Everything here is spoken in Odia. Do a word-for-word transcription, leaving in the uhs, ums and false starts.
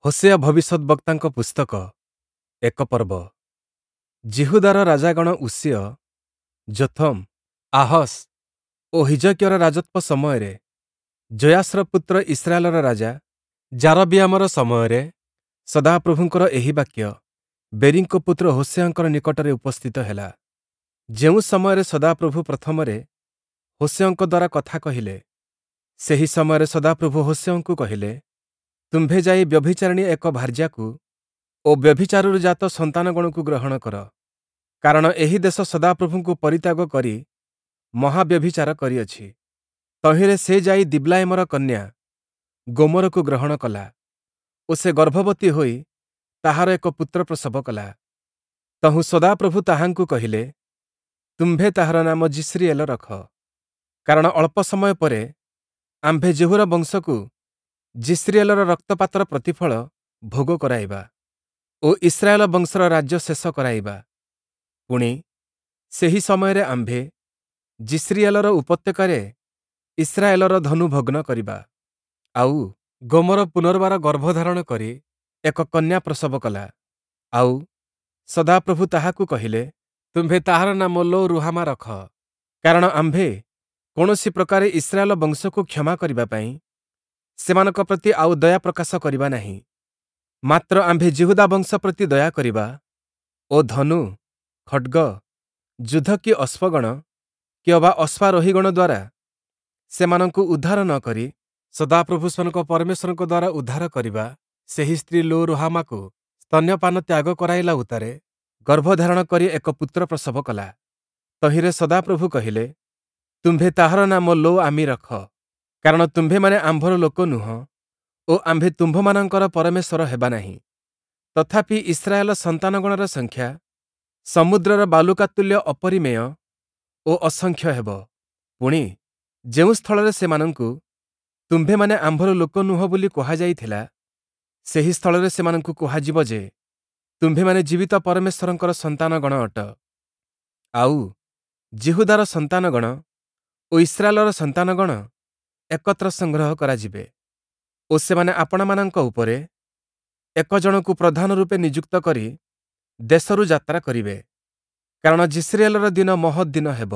ହୋଶେୟ ଭବିଷ୍ୟଦ୍‌ବକ୍ତାଙ୍କ ପୁସ୍ତକ ଏକ ପର୍ବ। ଯିହୁଦାର ରାଜାଗଣ ଉଷିୟ, ଯୋଥମ୍, ଆହସ୍ ଓ ହିଜକିୟର ରାଜତ୍ୱ ସମୟରେ ଯୋୟାଶର ପୁତ୍ର ଇସ୍ରାଏଲର ରାଜା ଯାରବିୟାମର ସମୟରେ ସଦାପ୍ରଭୁଙ୍କର ଏହି ବାକ୍ୟ ବେରୀଙ୍କ ପୁତ୍ର ହୋଶେୟଙ୍କର ନିକଟରେ ଉପସ୍ଥିତ ହେଲା। ଯେଉଁ ସମୟରେ ସଦାପ୍ରଭୁ ପ୍ରଥମରେ ହୋଶେୟଙ୍କ ଦ୍ୱାରା କଥା କହିଲେ, ସେହି ସମୟରେ ସଦାପ୍ରଭୁ ହୋଶେୟଙ୍କୁ କହିଲେ, ତୁମ୍ଭେ ଯାଇ ବ୍ୟଭିଚାରିଣୀ ଏକ ଭାର୍ଯ୍ୟାକୁ ଓ ବ୍ୟଭିଚାରରୁ ଜାତ ସନ୍ତାନଗଣକୁ ଗ୍ରହଣ କର, କାରଣ ଏହି ଦେଶ ସଦାପ୍ରଭୁଙ୍କୁ ପରିତ୍ୟାଗ କରି ମହାବ୍ୟଭିଚାର କରିଅଛି। ତହିଁରେ ସେ ଯାଇ ଦିବ୍ଲାୟିମର କନ୍ୟା ଗୋମରକୁ ଗ୍ରହଣ କଲା ଓ ସେ ଗର୍ଭବତୀ ହୋଇ ତାହାର ଏକ ପୁତ୍ର ପ୍ରସବ କଲା। ତହୁଁ ସଦାପ୍ରଭୁ ତାହାଙ୍କୁ କହିଲେ, ତୁମ୍ଭେ ତାହାର ନାମ ଯିଷ୍ରିଏଲ ରଖ, କାରଣ ଅଳ୍ପ ସମୟ ପରେ ଆମ୍ଭେ ଯେହୂର ବଂଶକୁ ଯିଷ୍ରିଏଲର ରକ୍ତପାତର ପ୍ରତିଫଳ ଭୋଗ କରାଇବା ଓ ଇସ୍ରାଏଲ ବଂଶର ରାଜ୍ୟ ଶେଷ କରାଇବା। ପୁଣି, ସେହି ସମୟରେ ଆମ୍ଭେ ଯିଷ୍ରିଏଲର ଉପତ୍ୟକାରେ ଇସ୍ରାଏଲର ଧନୁ ଭଗ୍ନ କରିବା। ଆଉ ଗୋମର ପୁନର୍ବାର ଗର୍ଭଧାରଣ କରି ଏକ କନ୍ୟା ପ୍ରସବ କଲା। ଆଉ ସଦାପ୍ରଭୁ ତାହାକୁ କହିଲେ, ତୁମ୍ଭେ ତାହାର ନାମ ଲୋ ରୁହାମା ରଖ, କାରଣ ଆମ୍ଭେ କୌଣସି ପ୍ରକାରେ ଇସ୍ରାଏଲ ବଂଶକୁ କ୍ଷମା କରିବା ପାଇଁ ସେମାନଙ୍କ ପ୍ରତି ଆଉ ଦୟା ପ୍ରକାଶ କରିବା ନାହିଁ। ମାତ୍ର ଆମ୍ଭେ ଯିହୁଦା ବଂଶ ପ୍ରତି ଦୟା କରିବା ଓ ଧନୁ, ଖଡ଼୍ଗ, ଯୁଦ୍ଧ କି ଅଶ୍ୱଗଣ କି ଅବା ଅଶ୍ୱାରୋହୀଗଣ ଦ୍ୱାରା ସେମାନଙ୍କୁ ଉଦ୍ଧାର ନ କରି ସଦାପ୍ରଭୁ ସେମାନଙ୍କ ପରମେଶ୍ୱରଙ୍କ ଦ୍ୱାରା ଉଦ୍ଧାର କରିବା। ସେହି ସ୍ତ୍ରୀ ଲୋ ରୁହାମାକୁ ସ୍ତନ୍ୟପାନ ତ୍ୟାଗ କରାଇଲା ଉତ୍ତାରେ ଗର୍ଭଧାରଣ କରି ଏକ ପୁତ୍ର ପ୍ରସବ କଲା। ତହିଁରେ ସଦାପ୍ରଭୁ କହିଲେ, ତୁମ୍ଭେ ତାହାର ନାମ ଲୋ ଆମି ରଖ, କାରଣ ତୁମ୍ଭେମାନେ ଆମ୍ଭର ଲୋକ ନୁହଁ ଓ ଆମ୍ଭେ ତୁମ୍ଭମାନଙ୍କର ପରମେଶ୍ୱର ହେବା ନାହିଁ। ତଥାପି ଇସ୍ରାଏଲ ସନ୍ତାନଗଣର ସଂଖ୍ୟା ସମୁଦ୍ରର ବାଲୁକା ତୁଲ୍ୟ ଅପରିମେୟ ଓ ଅସଂଖ୍ୟ ହେବ। ପୁଣି, ଯେଉଁ ସ୍ଥଳରେ ସେମାନଙ୍କୁ ତୁମ୍ଭେମାନେ ଆମ୍ଭର ଲୋକ ନୁହଁ ବୋଲି କୁହାଯାଇଥିଲା, ସେହି ସ୍ଥଳରେ ସେମାନଙ୍କୁ କୁହାଯିବ ଯେ, ତୁମ୍ଭେମାନେ ଜୀବିତ ପରମେଶ୍ୱରଙ୍କର ସନ୍ତାନଗଣ ଅଟ। ଆଉ ଯିହୁଦାର ସନ୍ତାନଗଣ ଓ ଇସ୍ରାଏଲର ସନ୍ତାନଗଣ ଏକତ୍ର ସଂଗ୍ରହ କରାଯିବେ ଓ ସେମାନେ ଆପଣାମାନଙ୍କ ଉପରେ ଏକ ଜଣକୁ ପ୍ରଧାନ ରୂପେ ନିଯୁକ୍ତ କରି ଦେଶରୁ ଯାତ୍ରା କରିବେ, କାରଣ ଯିଷ୍ରିଏଲର ଦିନ ମହତ୍ ଦିନ ହେବ।